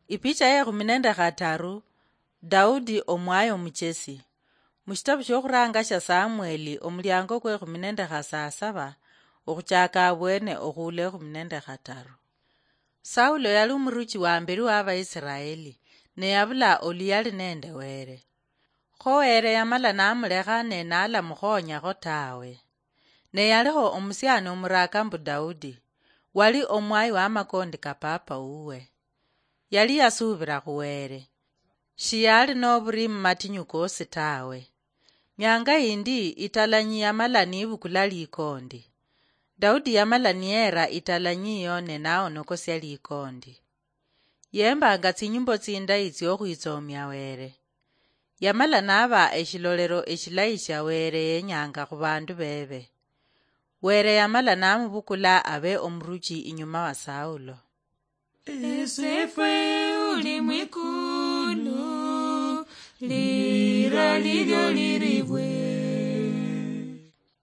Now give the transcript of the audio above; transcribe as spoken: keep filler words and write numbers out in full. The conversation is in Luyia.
Ipicha ye khumi nende khataru. Daudi omwayi omuchesi. Mushitabu shokhuranga sha Samueli, omuliango kwe khumi nende khasasaba, okhuchaka abwene okhuula ekhumi nende khataru. Saulo yali omuruchi wa mberi wa Abaisiraeli, ne yabula oluyali nende Were. Kho Were yamala namulekha ne nalamukhonyakho tawe. Ne yaliho omusiani omuraka mbu Daudi, wali omwayi wa makondi ka papa wuwe. Yali yasubira khu Were. Shiyali noburi mumatinyu kosi tawe. Nyanga yindi italanyi yamala nibukula likondi. Daudi yamala niyera italanyi iyo ne naonokosia likondi. Yembanga tsinyimbo tsindayi tsiokhwitsomia Were. Yamala naba eshilolero eshilayi shia Were yenyanga khubandu bebe. Were yamala namubukula abe omuruchi inyuma wa Saulo. Esefwe uli mwikulu, lira lilyo liribwe.